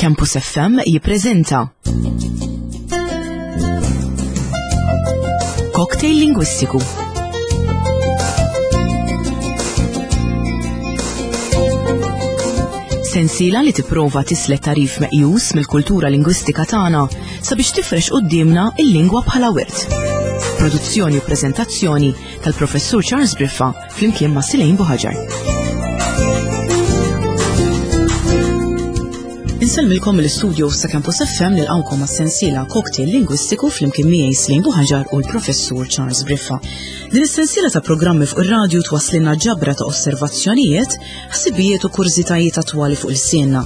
Campus FM jippreżenta Cocktail Lingwistiku. Sensiela li tipprova tislet tarif meqjus mill-kultura lingwistika tagħna sabiex tifrex quddiemna il-lingwa bħala wirt. Produzzjoni u preżentazzjoni tal-Professur Charles Briffa flimkien ma' Silejn Buħaġar. Insellmilkom mill-istudio sa' Campus FM nilqawkom għas-sensiela Cocktail Lingwistiku flimkien miegħi Slejn Buħaġar u l-Professur Charles Briffa. Din is-sensiela ta' programmi fuq ir-radju twasslilna ġabra ta' osservazzjonijiet, ħsibijiet u kurżitajiet attwali fuq il-sienna.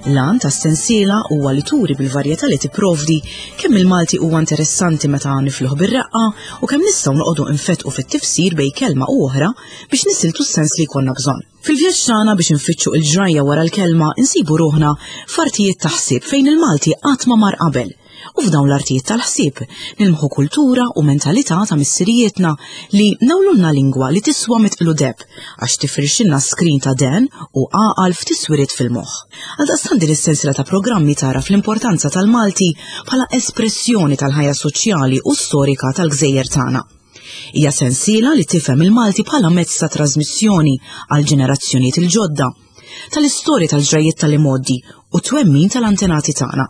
L-għan tas-sensiela huwa li turi bil-varjetà li tipprovdi kemm il-Malti huwa interessanti meta nifluh bir-reqqa u kemm nistgħu noqogħdu nfettqu fit-tifsir bejn kelma u oħra biex nisiltu s-sens li jkollna bżonn. Fil-vjaġġ tagħna biex infittxu il-ġrajja wara l-kelma insibu ruħna f'artijiet ta' ħsieb fejn il-Malti qatt ma mar qabel. U f'dawn l-artijiet tal-ħsieb nilmħu kultura u mentalità ta' missirijietna li nawlulna lingwa li tiswa mitqlu deb għax tifrixilna skrin ta' den u għaqal f'tiswiriet fil-moħħ. Għaldaqstant din is-sensiela ta' programmi tagħraf l-importanza tal-Malti bħala espressjoni tal-ħajja soċjali u storika tal-gżejjer tagħna. Hija sensiela li tifhem il-Malti bħala mezz ta' trasmissjoni għal ġenerazzjonijiet il-ġodda, tal-istorja tal-ġrajjiet tal-imgħoddi u twemmin tal-antenati tagħna.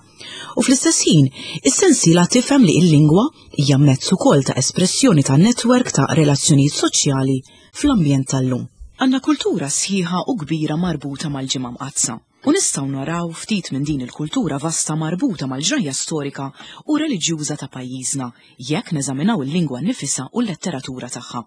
U fl-istess ħin, is-sensiela tifhem li l-lingwa hija mezz ukoll ta' espressjoni ta' netwerk ta' relazzjonijiet soċjali fl-ambjent tal-lum. Għandna kultura sħiħa u kbira marbuta mal-Ġimgħa Mqaddsa, u nistgħu naraw ftit minn din il-kultura vasta marbuta mal-ġrajja storika u reliġjuża ta' pajjiżna jekk neżaminaw il-lingwa nnifisha u l-letteratura tagħha.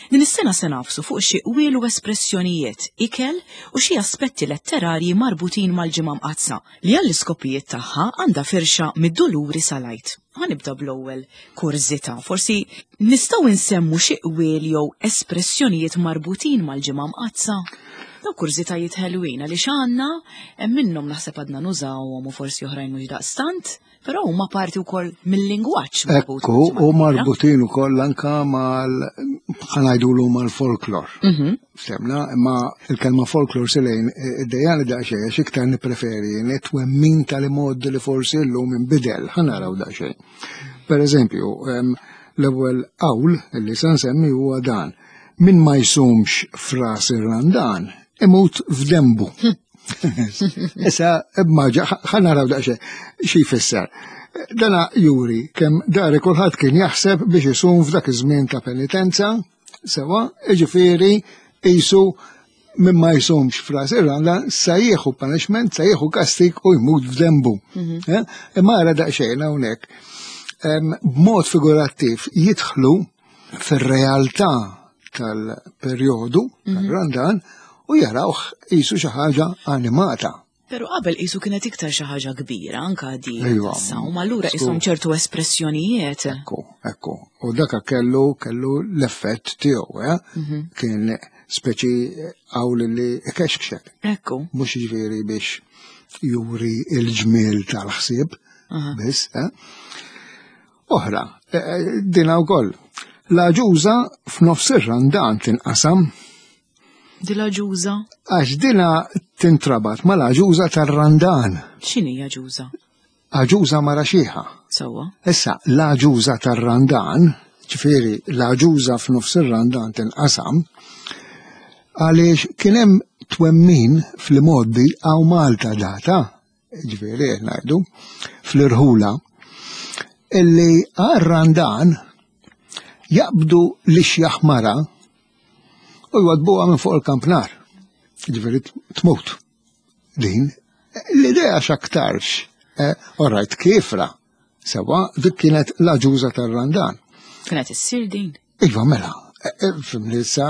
Din is-sena se nagħfsu fuq xi qwiel u espressjonijiet, ikel u xi aspetti letterarji marbutin mal-Ġimgħa Mqaddsa, li għall-iskopijiet tagħha għandha firxa mid-Duluri sal-Għid. Ħa nibda bl-ewwel kurżità. Forsi nistgħu nsemmu xi qwiel jew espressjonijiet marbutin mal-Ġimgħa Mqaddsa? Dawn kurżitajiet ħelwin għaliex għandna hemm minnhom naħseb għadna nużawhom u forsi oħrajn mhux daqstant. Però huma parti wkoll mill-lingwaġġ marbut. Ekku, u marbutin ukoll anka mal ħanajdulu mal-folklor. Mhm. Semna, imma il-kelma folklor silejn id-dejjani daqsxejn għax iktar nippreferi twemmin tal-imod li forsi llum inbidel, ħanaraw daqsxejn. Per eżempju, l-ewwel qawl li se nsemmi huwa dan. Min ma jsumx fras ir-Randan imut f'dembu. Issa, immaġa, ħa naraw daqsxejn xi jfisser. Dana juri kemm dari kulħadd kien jaħseb biex isum f'dak iż-żmien ta' penitenza, sewa, jiġifieri qisu min ma jsumx fras ir-Randan sa jieħu punishment, sa jieħu kastig u jmut f'dembu. Mhm. Eh? Imma ara daqsxejn hawnhekk. B'mod figurattiv jidħlu fir-realtà tal-perjodu mhm. tal-Randan u jarawh qisu xi ħaġa animata. Pero qabel qisu kienet iktar xi ħaġa kbira anka di. Iva. Sawm allura qishom ċertu espressjonijiet. Ekku, ekku. U daka kellu kellu l-effett tiegħu, eh? Mhm. Kien speċi għawl li ikexkxek. Ekku. Mhux jiġifieri biex juri il-ġmiel tal-ħsieb biss, eh? Oħra, eh, eh, dina wkoll. L-aġuża f'nofs ir-randan tinqasam. Di l-aġuża? Għax dina tintrabat mal-aġuża tar-randan. X'inhi aġuża? Aġuża mara xieħa. Sewwa. Issa, l-aġuża tar-randan, ġifieri l-aġuża f'nofs ir-randan tinqasam, għaliex kien hemm twemmin fl-imgħoddi hawn Malta data ġifieri qed ngħidu, fl-irħula, illi għar-Randan jaqbdu l-ixjaħ mara u jwadbuha minn fuq il-kampnar. Ġifieri tmut. Din l-idea x'aktarx, eh, orajt kifra, Sewa, dik kienet l-aġuża tar-Randan. Kienet issir din? Iva, mela, e, e, fimni sa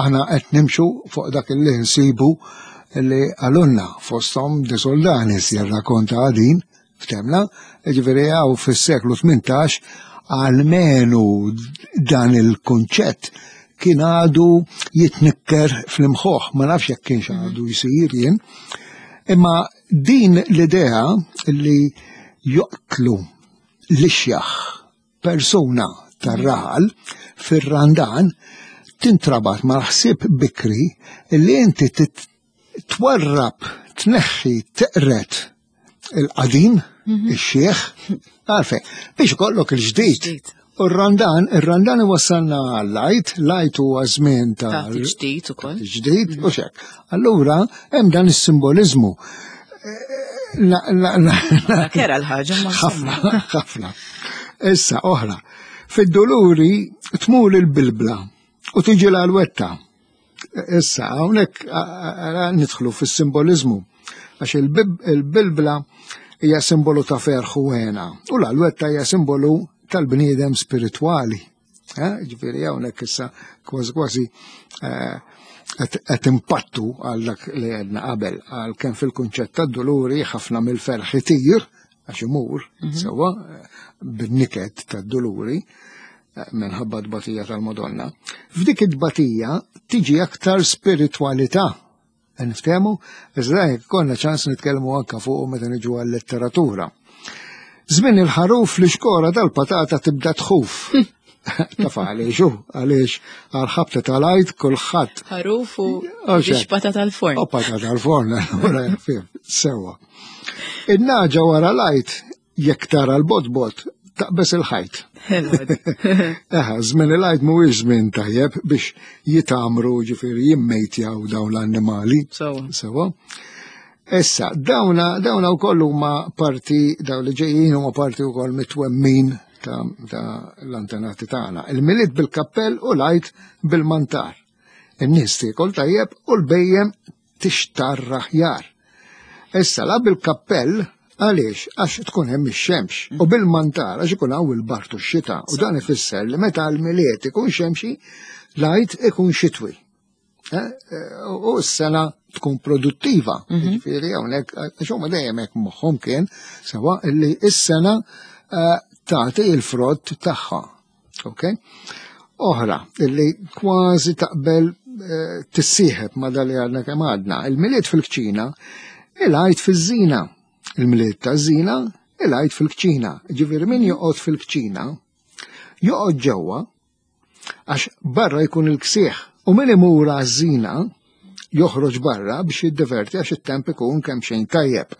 aħna qed nimxu fuq dak li nsibu li għalunna fosthom De Soldanis jirrakonta din ftemna, ġifieri hawn fis-seklu 18 għalmenu dan il-kunċett kien għadu jitnikker fl-imħoħ, ma nafx jekk kienx għadu jsir jien. Imma Din l-idea li joqtlu l-ixjaħ persuna tar-raħal fir-Randan tintrabat mal-ħsieb bikri li inti twarrab, tneħħi, teqred. il-qadim, ix-xieħ, għalfejn, biex ikollok il-ġdid. U r-randan, ir-randan iwassalna għall-Għid, l-Għid huwa żmien ta' ġdid ukoll. Ġdid u xek. Allura hemm dan is-simboliżmu. Kera l-ħaġa ma ħafna, ħafna. Issa oħra, fid-duluri tmur il-bilbla u tiġi l-alwetta. Issa, hawnhekk nidħlu fis-simboliżmu għax il-bilbla hija simbolu ta' ferħ u hena u l-alwetta hija simbolu tal-bniedem spiritwali. Eh, ġifieri hawnhekk issa kważi kważi eh, qed impattu għal dak li għedna qabel għal kemm fil-kunċett tad-duluri ħafna mill-ferħ itir għax imur mhm. sewwa bin-niket tad-duluri eh, minħabba tbatija tal-Madonna. F'dik it-tbatija tiġi aktar spiritwalità. Niftehmu, iżda jekk konna ċans nitkellmu anka fuq meta niġu għal-letteratura. Żmien il-ħaruf li xkora dal-patata tibda tħuf. Taf għaliex u għaliex għal-ħabta tal-għajt kulħadd. Ħaruf u biex patata tal-forn. U patata tal-forn, allura sewa. In-naġa wara l-għajt jekk tara l-botbot taqbes il-ħajt. Eħa, żmien il-għajt mhuwiex żmien tajjeb biex jitamru ġifieri jimmejtjaw dawn l-annimali. Sewa. Issa, dawna dawna wkoll huma parti dawn li ġejjin huma parti wkoll mitwemmin ta', ta l-antenati tagħna. Il-milied bil-kappell u l-għajt bil-mantar. In-nies tiekol tajjeb u l-bejjem tixtarr aħjar. Issa la bil-kappell għaliex għax tkun hemm ix-xemx u bil-mantar għax ikun hawn il-bart u x-xita u dan ifisser li meta l-milied ikun xemxi l-għid ikun xitwi. Eh, eh, u s-sena tkun produttiva. Mhm. Ġifieri hawnhekk għax huma dejjem hekk moħħhom kien sewa li s-sena eh, tagħti il-frott tagħha. Ok? Oħra, illi kważi taqbel eh, tissieħeb ma dali għadna kemm għadna. Il-milied fil-kċina, il-għajt fiż-żina. Il-milied ta' żina, il-għajt fil-kċina. Ġifieri min joqgħod fil-kċina, joqgħod ġewwa, għax barra jkun il-ksieħ. U min imur għaż-żina, joħroġ barra biex jiddeverti għax it-temp ikun kemm xejn tajjeb.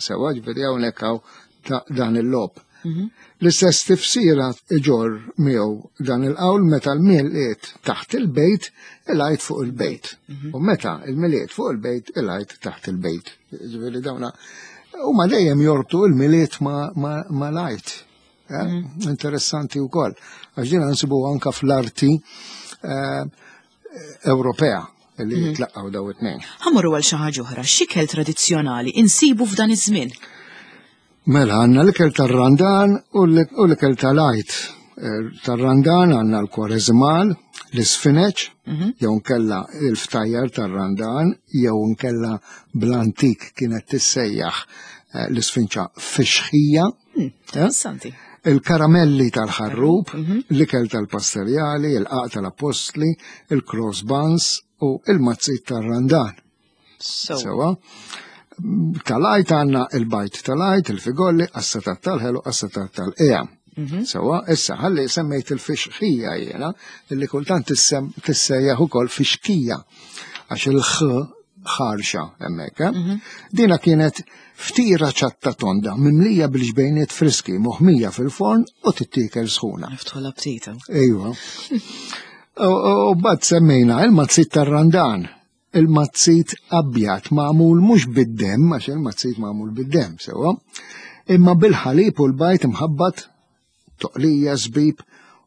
Sewa ġifieri hawnhekk hawn dan il-lob. Mhm. L-istess tifsira iġor miegħu dan il-qawl meta l-milied taħt il-bejt, il-għajt fuq il-bejt. Mhm. U meta il-milied fuq il-bejt, il-għajt taħt il-bejt. Ġifieri dawna huma dejjem jorbtu il-milied ma l-għajt. Eh? Mhm. Interessanti wkoll. Għax din nsibu anka fl-arti eh, Ewropea li mhm. tlaqqaw daw it-tnejn. Ħamorru għal xi ħaġa oħra, x'ikel tradizzjonali insibu f'dan iż-żmien? Mela għandna l-ikel tar-Randan u l-ikel tal-Għid. Eh, tar-Randan għandna l-kwareżmal, l-isfineċ, mhm. jew nkella il-ftajjar tar-Randan, jew nkella bl-antik kienet tissejjaħ eh, l-isfinċa fixħija. Hmm, interessanti. Il-karamelli tal-ħarrub, mhm. l-ikel tal-pasterjali, il-qaq tal-appostli, il-cross buns u il-mazzit tal-randan. Sewa. Tal-għajt għanna il-bajt tal-għajt, il-figolli, assatat tal-ħelu, assatat tal-qija. Mhm. Sewa, issa ħalli semmejt il-fixħija jena, illi kultant tissejjaħ ukoll fixkija, għax il-ħ ħarxa hemmhekk. Eh? Mhm. Dina kienet ftira ċatta tonda mimlija bil-ġbejniet friski moħmija fil-forn u tittiekel sħuna. Niftħu l-aptita. Ejwa. U bad semmejna il-mazzit tar-randan, il-mazzit abjad magħmul mhux bid-demm, għax il-mazzit magħmul bid-demm, sewa, imma bil-ħalib u l-bajt imħabbat toqlija, żbib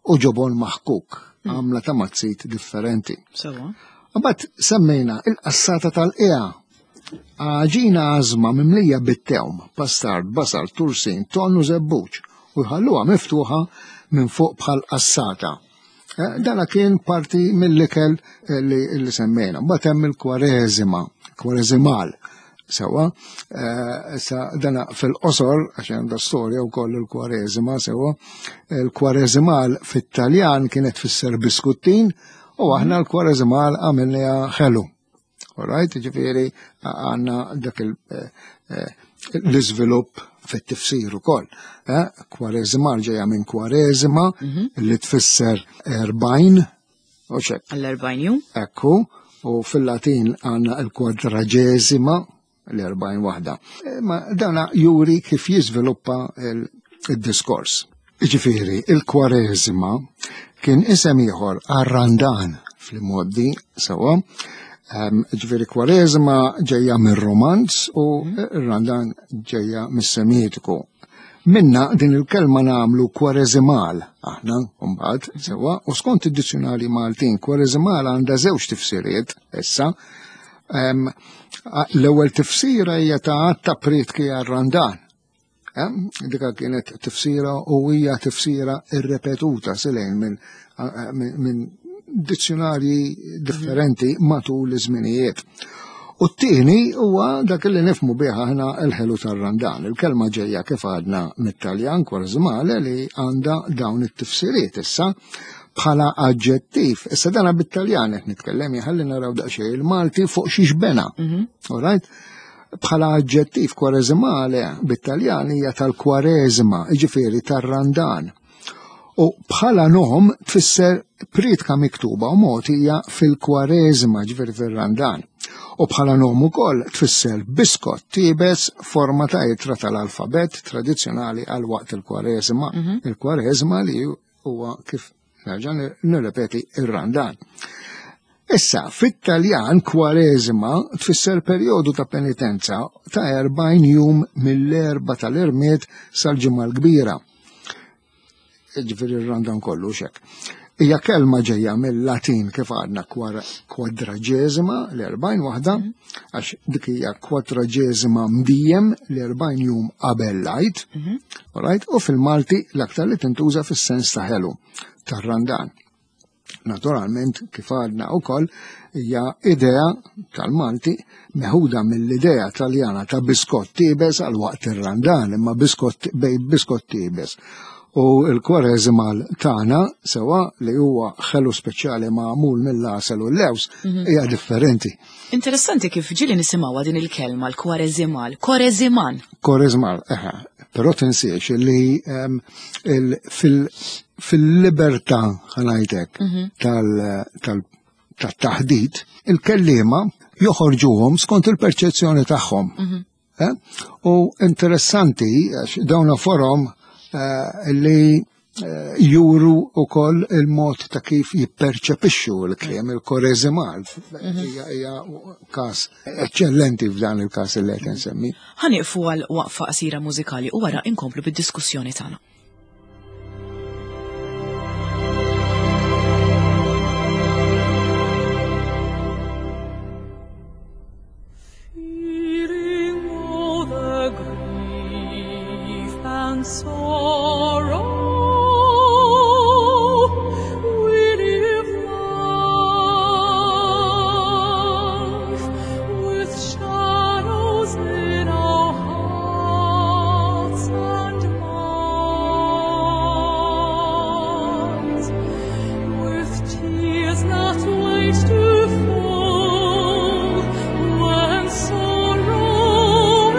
u ġobon maħkuk, hmm. għamla ta' mazzit differenti. Sewa. Mbagħad semmejna il-qassata tal-qiegħa. Għaġina għażma mimlija bit-tewm, pastard, basal, tursin, ton u żebbuġ u jħalluha miftuħa minn fuq bħal qassata. Eh, dana kien parti mill-ikel eh, li semmejna. Mbagħad hemm il-kwareżima, kwareżimal. Sewa, eh, sa dana fil-qosor, għax għandha storja wkoll il-kwareżima, sewa, il-kwareżimal fit-Taljan kienet fisser biskuttin u aħna l-kwareżimal għamilniha ħelu. Alright, ġifieri għandna dak eh, eh, l-iżvilupp fit-tifsir ukoll. Eh, kwareżima ġejja minn kwareżima mhm. li tfisser 40 u xek. Għall-40 jum? Ekku, u fil-Latin għandna l-kwadraġeżima. l-40 waħda. Ma dana juri kif jiżviluppa il-diskors. Ġifieri, il-Kwareżma kien isem ieħor għar-Randan fl-imgħoddi sewwa. Ġifieri Kwareżma ġejja mir-Romanz u r-Randan ġejja mis-Semitiku. Minna din il-kelma nagħmlu kwareżimal aħna mbagħad sewwa u skont id-dizzjonarji Maltin kwareżimal għandha żewġ tifsiriet issa. L-ewwel tifsira hija ta' għadd ta' prietki għar-Randan. Dika kienet tifsira u hija tifsira irrepetuta silejn minn dizzjonarji differenti matul iż-żminijiet. U t-tieni huwa dak li nifmu bih aħna l-ħelu tar-Randan. Il-kelma ġejja kif għadna mit-Taljan kwareżmale li għandha dawn it-tifsiriet issa bħala aġġettiv. Issa dana bit-Taljan qed nitkellem ħalli naraw daqsxejn il-Malti fuq xiex bena. All right? Bħala aġġettiv kwareżimale bit-Taljan hija tal-kwareżma, jiġifieri tar-Randan. U bħala nom tfisser priedka miktuba u mogħtija fil-kwareżma, ġifieri fir-Randan. U bħala nom ukoll tfisser biskott tiebes forma ta' ittra tal-alfabett tradizzjonali għal waqt il-kwareżma. Il-kwareżma li huwa kif nerġa' nirrepeti ir-Randan. Issa, fit-Taljan kwareżma tfisser perjodu ta' penitenza ta' 40 jum mill-Erbgħa tal-Irmied sal-Ġimgħa l-Kbira. Ġifieri r-Randan kollu xek. Hija kelma ġejja mill-Latin kif għadna kwadraġeżima l-40 waħda, għax dik hija kwadraġeżima mdiem l-40 jum qabel l-Għid, alright? U fil-Malti l-aktar li tintuża fis-sens ta' ħelu tar-Randan. Naturalment, kif għadna wkoll, hija idea tal-Malti meħuda mill-idea Taljana ta' biskott tiebes għal waqt ir-Randan, imma biskott bej biskott tiebes. U l-kwareżimal tagħna sewa li huwa ħelu speċjali magħmul mill-għasel u l-lews hija differenti. Interessanti kif ġieli nisimgħuha din il-kelma l-kwareżimal, koreżiman. Koreżmal, eħe. Però tinsiex li fil-libertà ħanajtek tat-taħdit, il-kelliema joħorġuhom skont il-perċezzjoni tagħhom. U interessanti għax dawn forom li juru wkoll il-mod ta' kif jipperċepixxu l-kliem, il-koreżimal. Hija każ eċċellenti f'dan il-każ li qed insemmi. Ħa nieqfu għal waqfa qasira mużikali u wara inkomplu bid-diskussjoni tagħna. Feeling all the grief and sorrow, we live life with shadows in our hearts and minds, with tears that wait to fall when sorrow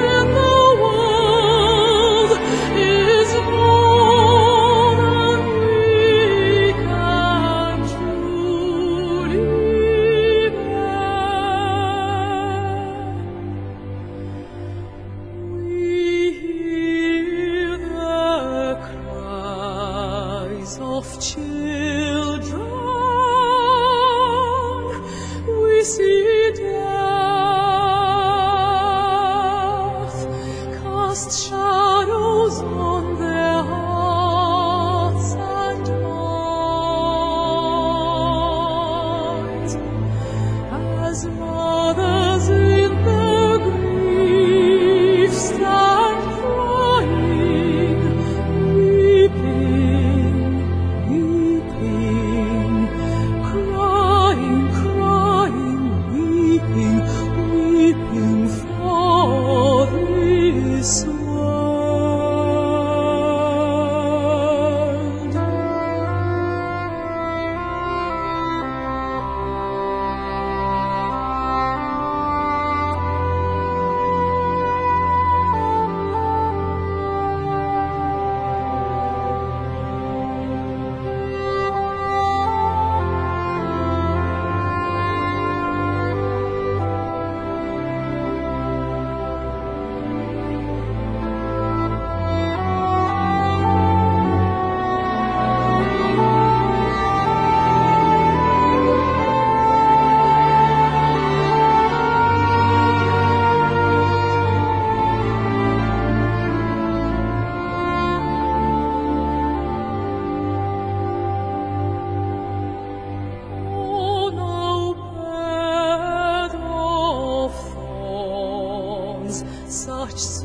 in the world is more than we can truly bear. We hear the cries of children, we see death cast shadows on their hearts and minds, as mothers in their grief stand crying, weeping, weeping, crying, crying, weeping, weeping for this world.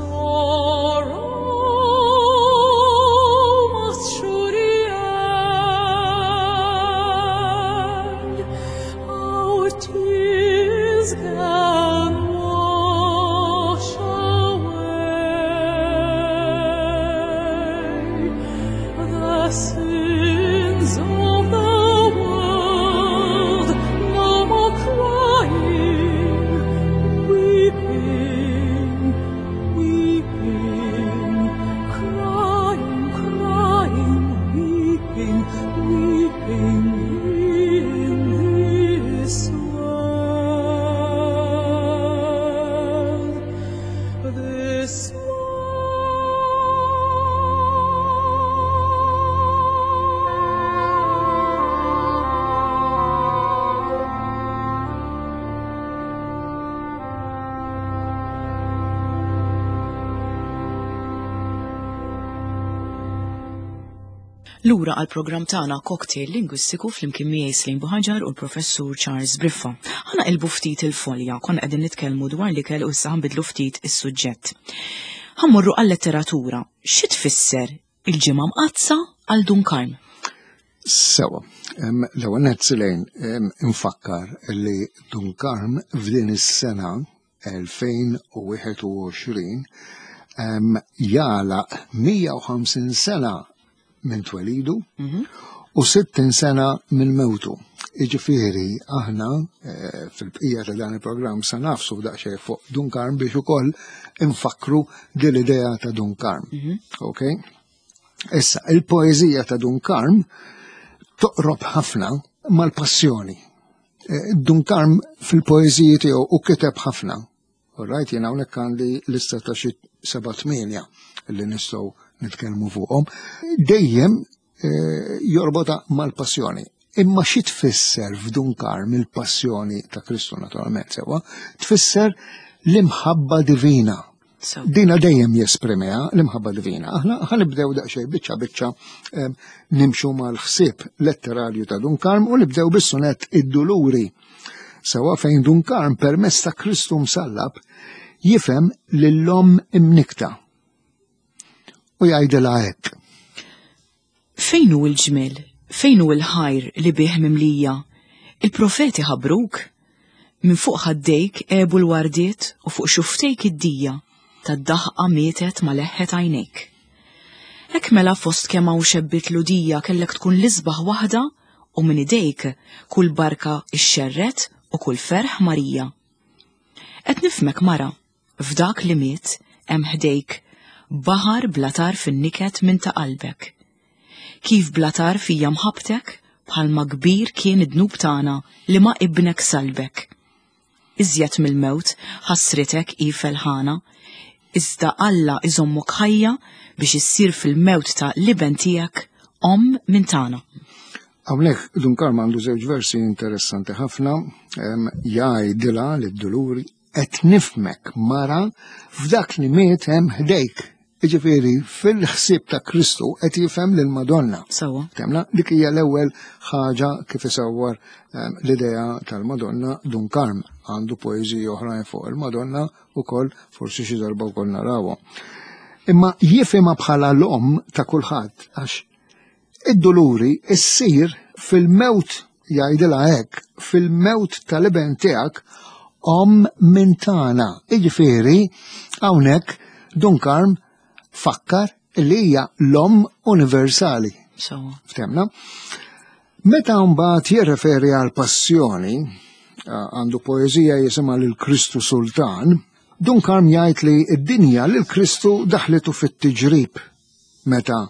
Sorrow must surely end. Our tears can wash away the sins of the world. No more crying, weeping, weeping, crying, crying, weeping, weeping in this world. This Lura għal programm tagħna Cocktail Lingwistiku flimkien miegħi Slim Buħaġar u l-Professur Charles Briffa. Ħa naqilbu ftit il-folja, konna qegħdin nitkellmu dwar l-ikel u issa ħanbidlu ftit is-suġġett. Ħa mmorru għal-letteratura. Xi tfisser il-ġimgħa mqaddsa għal Dun Karm? Sewa, l-ewwel nett Silejn infakkar li Dun Karm f'din is-sena 2021 jagħlaq 150 sena minn twelidu u 60 sena minn mewtu. Iġifieri aħna fil-bqija ta' dan il-programm sa nafsu daqsxejn fuq Dun Karm biex ukoll infakkru din l-idea ta' Dun Karm. Ok? Issa, il-poeżija ta' Dun Karm toqrob ħafna mal-passjoni. Dun Karm fil-poeżiji tiegħu u kiteb ħafna. All right, jiena hawnhekk għandi lista ta' xi 7-8 li nistgħu nitkellmu fuqhom. Dejjem jorbota mal-passjoni. Imma xi tfisser f'Dun Karm il-passjoni ta' Kristu naturalment sewwa? Tfisser l-imħabba divina. Dina dejjem jesprimiha l-imħabba divina. Aħna ħanibdew daqsxejn biċċa biċċa nimxu mal-ħsieb letterarju ta' Dun Karm u nibdew bis-sunett Id-Duluri. Sewwa fejn Dun Karm permezz ta' Kristu msallab jifhem lill-omm imnikta. U jgħidilha hekk. Fejn hu l-ġmiel, fejn hu l-ħajr li bih mimlija? Il-profeti ħabruk? Minn fuq ħaddejk għebu l-wardiet u fuq xuftejk id-dija tad-daħqa mietet ma leħħet għajnejk. Hekk mela fost kemm hawn xebbiet l-udija kellek tkun l-isbaħ waħda u minn idejk kull barka ixxerred u kull ferħ Marija. Qed nifhmek mara, f'dak li miet hemm ħdejk baħar bla tarf in-niket minn ta' qalbek. Kif bla tarf hija mħabbtek bħalma kbir kien id-dnub tagħna li ma' ibnek salbek. Iżjed mill-mewt ħasritek hi felħana, iżda Alla iżommok ħajja biex issir fil-mewt ta' l-iben tiegħek omm minn tagħna. Hawnhekk Dun Karm għandu żewġ versi interessanti ħafna, jgħidilha lid-duluri qed nifhmek mara f'dak li miet hemm ħdejk. Jiġifieri fil-ħsieb ta' Kristu qed jifhem lil Madonna. Temna dik hija l-ewwel ħaġa kif isawwar l-idea tal-Madonna Dun Karm. Għandu poeżiji oħrajn fuq il-Madonna ukoll, forsi xi darba wkoll narawhom. Imma jifhimha bħala l-omm ta' kulħadd għax id-duluri issir fil-mewt, jgħidilha hekk, fil-mewt tal-iben tiegħek omm minn tagħna. Jiġifieri hawnhekk Dun Karm fakkar li hija l-omm universali. Ftemna? Meta mbagħad jirreferi għal passjoni, għandu poeżija jisimha lil Kristu Sultan, Dun Karm jgħid li d-dinja lil Kristu daħlitu fit-tiġrib meta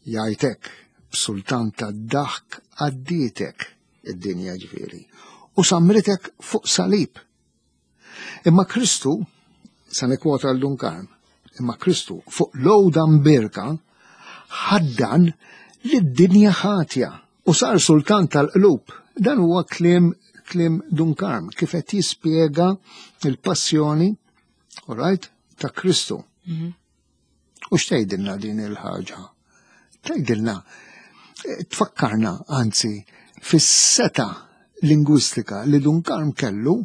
jgħid hekk, b'sultan tad-daħk għaddietek id-dinja ġifieri u samritek fuq salib. Imma Kristu, sa nikkwota għal Dun Karm, imma Kristu fuq l-għoda mbierka ħaddan lid-dinja ħatja u sar sultan tal-qlub. Dan huwa kliem Dun Karm kif qed jispjega il-passjoni, all right, ta' Kristu. U x'tgħidilna din il-ħaġa? Tgħidilna, tfakkarna, anzi, fis-seta lingwistika li Dun Karm kellu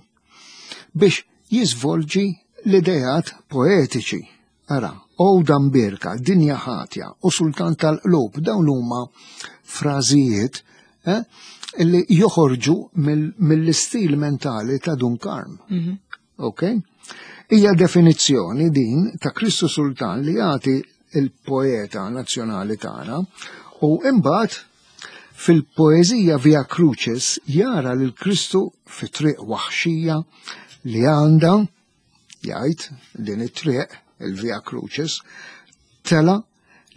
biex jiżvolġi l-idejat poetiċi. Ara, għoda mbierka, dinja ħatja u sultan tal-qlub, dawn huma frażijiet eh, li joħorġu mill-istil mentali ta' Dun Karm. Mhm. Ok? Hija definizzjoni din ta' Kristu Sultan li jagħti il-poeta nazzjonali tagħna u imbagħad fil-poeżija Via Crucis jara lil Kristu fi triq waħxija li għandha jgħid din it-triq, il-Via Crucis, tela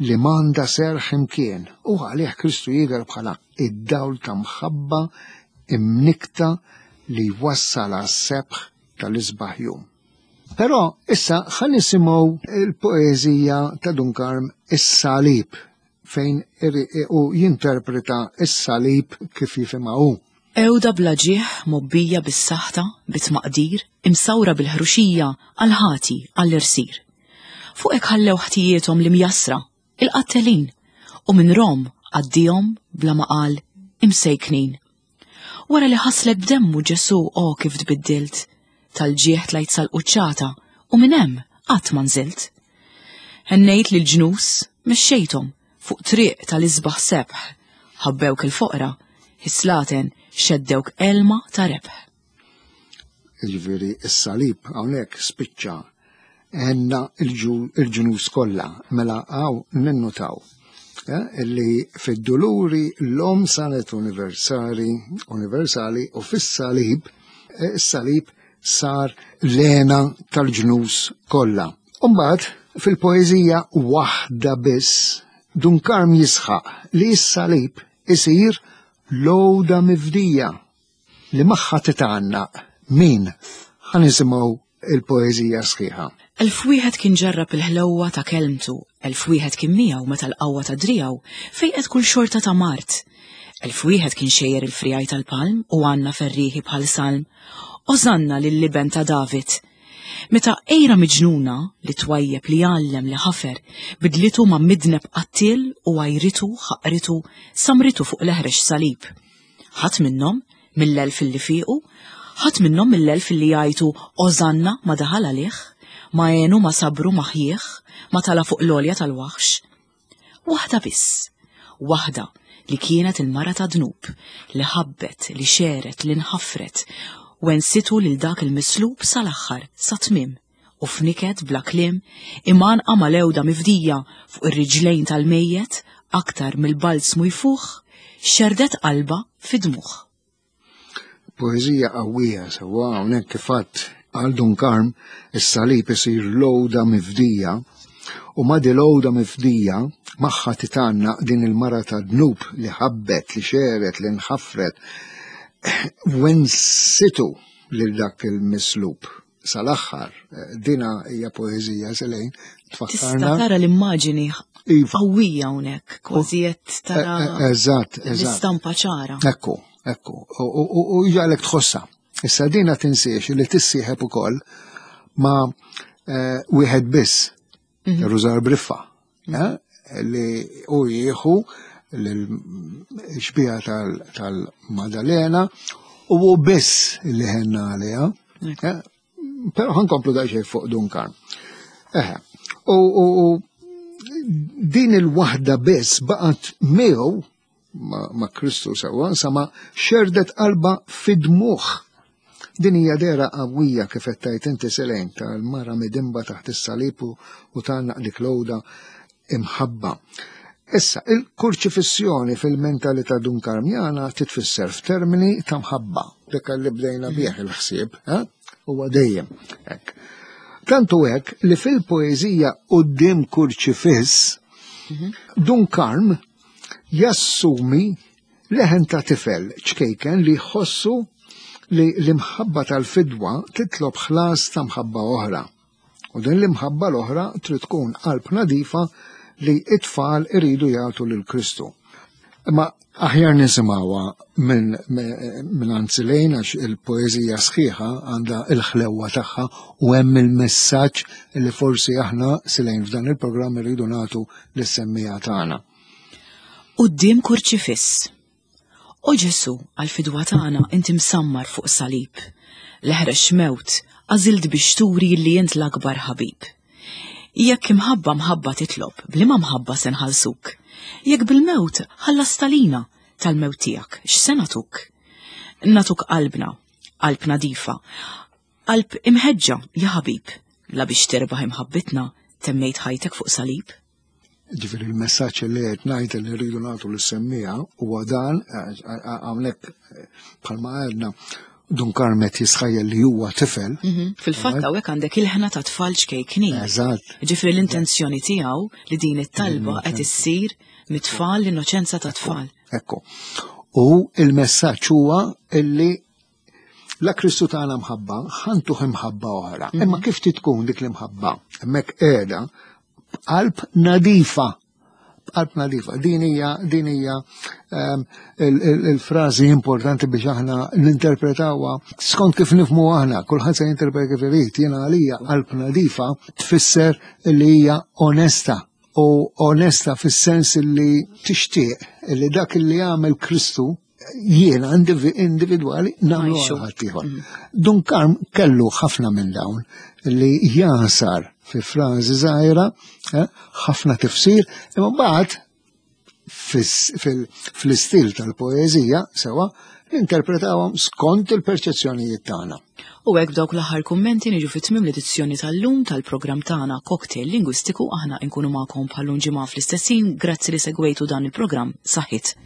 li m'għandha serħ imkien u għalih Kristu jidher bħala id-dawl ta' mħabba imnikta li jwassal għas-sebħ tal-isbaħ jum. Però issa ħa nisimgħu il-poeżija ta' Dun Karm Is-Salib fejn u jinterpreta s-salib kif jifhimha hu. Għewda bla ġieħ mgħobbija bis-saħta, bit-tmaqdir, imsawra bil-ħruxija għall-ħati, għall-irsir. Fuqek ħallew ħtijiethom l-imjassra, il-qattelin, u minn Rom għaddihom bla ma qal imsejknin. Wara li ħaslek b'demmu Ġesù o kif tbiddilt, tal-ġieħ tlajt sal-quċċata u minn hemm qatt ma nżilt. Hennejt lill-ġnus, mexxejthom fuq triq tal-isbaħ sebħ, ħabbewk il-foqra, is-slaten xeddewk elma ta' rebħ. Jiġifieri s-salib hawnhekk spiċċa għenna il-ġnus kollha, mela hawn ninnutaw eh, li fid-duluri l-om saret universali, universali u fis-salib, eh, is-salib sar l-għena tal-ġnus kollha. Umbagħad fil-poeżija waħda biss Dun Karm jisħaq li s-salib isir l-għoda mifdija li magħha titgħannaq min? Ħa nisimgħu il-poeżija sħiħa. 1001 kien ġarrab il-ħlewwa ta' kelmtu, 1001 kien miegħu meta l-qawwa ta' driegħu fejqet kull xorta ta' mard. 1001 kien xejjer il-friegħi tal-palm u għanna ferrieħi bħal salm, Ożanna lill-Iben ta' David! Meta għira miġnuna li twajjeb li għallem li ħafer bidlitu ma' midneb qattiel u għajritu, ħaqritu, samritu fuq l-eħrex salib. Ħadd minnhom, mill-elf illi fiequ, ħadd minnhom mill-elf illi jgħajtu Ożanna ma daħal għalih, ma għenu ma sabru ma ħjieħ, ma tala' fuq l-għolja tal-waħx. Waħda biss, waħda li kienet il-mara ta' dnub, li ħabbet, li xeret, li nħafret, wensitu lil dak il-mislub sal-aħħar, sat-tmiem u f'niket bla kliem, imgħannqa mal-għewda mifdija fuq ir-riġlejn tal-mejjet aktar mill-balzmu jfuħ, xerrdet qalbha fi dmugħ. Poeżija qawwija sewwa hawnhekk kif għadt għal Dun Karm is-salib isir l-għoda mifdija u ma' di l-għoda mifdija magħha titgħannaq din il-mara ta' dnub li ħabbet, li xeret, li nħafret, wensitu lil dak il-mislub sal-aħħar. Dina hija poeżija selejn tfakkarna. Tista' tara l-immaġini iva. qawwija hawnhekk, kważi qed tara. E, e, eżatt, eżatt. L-istampa ċara. Ekku, ekku. U jgħalek tħossha. Issa dina tinsiex li tissieħeb ukoll ma' eh, wieħed biss, mhm. Rużar Briffa, mhm. eh, li u jieħu l-xbija tal-Madalena u hu biss li ħenna għaliha. Eh, però ħankomplu daqsxejn fuq Duncan. Eħe, u din il-waħda biss baqgħet miegħu ma' Kristu sewwa, sa ma xerdet qalba fid-dmugħ. Din hija dehra qawwija kif qed tgħid inti Selene tal-mara midinba taħt is-salib u tgħannaq dik l-għoda imħabba. Issa, il-kurċifissjoni fil-mentalità Dunkarmjana titfisser f'termini ta' mħabba, dik li bdejna bih il-ħsieb, eh? huwa dejjem hekk. Tantu hekk li fil-poeżija Quddiem Kurċifiss, mhm. Dun Karm jassumi leħen ta' tifel ċkejken li jħossu li l-imħabba tal-fidwa titlob ħlas ta' mħabba oħra. U din l-imħabba l-oħra trid tkun qalb nadifa li it-tfal iridu jagħtu lil Kristu. Imma aħjar nisimgħuha minn min Anzilejn għax il-poeżija sħiħa għandha il-ħlewwa tagħha u hemm il-messaġġ li forsi aħna silejn f'dan il-programm irridu nagħtu lis-semmiegħa tagħna. Quddiem kurċifiss. O Ġesù, għall-fidwa tagħna inti msammar fuq salib. L-eħrex mewt għażilt biex turi li int l-akbar ħabib. Jekk imħabba mħabba titlob, bliema mħabba se nħallsuk? Jekk bil-mewt ħallast għalina, tal-mewt tiegħek x'se nagħtuk? Nagħtuk qalbna, qalb nadifa, qalb imħeġġa, ja ħabib, la biex terbaħ imħabbitna temmejt ħajtek fuq salib? Ġifieri l-messaġġ li qed ngħid li rridu nagħtu lis-semmiegħa huwa dan hawnhekk bħalma għedna Dun Karmet jisħajjel li huwa tifel. Mhm. Fil-fatt hawnhekk għandek il-ħna ta' tfal ċkejknin. Eżatt. Ġifieri l-intenzjoni tiegħu li din it-talba qed issir mit-tfal l-innoċenza ta' tfal. Ekku. U il-messaġġ huwa illi la Kristu tagħna mħabba, ħantuh imħabba oħra. Mhm. Imma kif tkun dik l-imħabba? Hemmhekk qiegħda b'qalb nadifa. B'qalb nadifa. Din hija din hija ehm, il-frażi importanti biex aħna ninterpretawha skont kif nifmu aħna, kulħadd se jinterpreta kif irid. Jiena għalija qalb nadifa tfisser li hija onesta u onesta fis-sens li tixtieq li dak li għamel Kristu jiena individwali nagħmlu għal ħaddieħor. Mm. Dun Karm kellu ħafna minn dawn li jasar fi frażi żgħira eh, ħafna tifsir, imma mbagħad fl-istil tal-poeżija sewa ninterpretawhom skont il-perċezzjonijiet tagħna. U hekk b'dawk l-aħħar kummenti niġu fi tmiem l-edizzjoni tal-lum tal-programm tagħna Cocktail Lingwistiku aħna nkunu magħkom bħal-lum ġimgħa fl-istess ħin. Grazzi li segwejtu dan il-programm. Saħħit.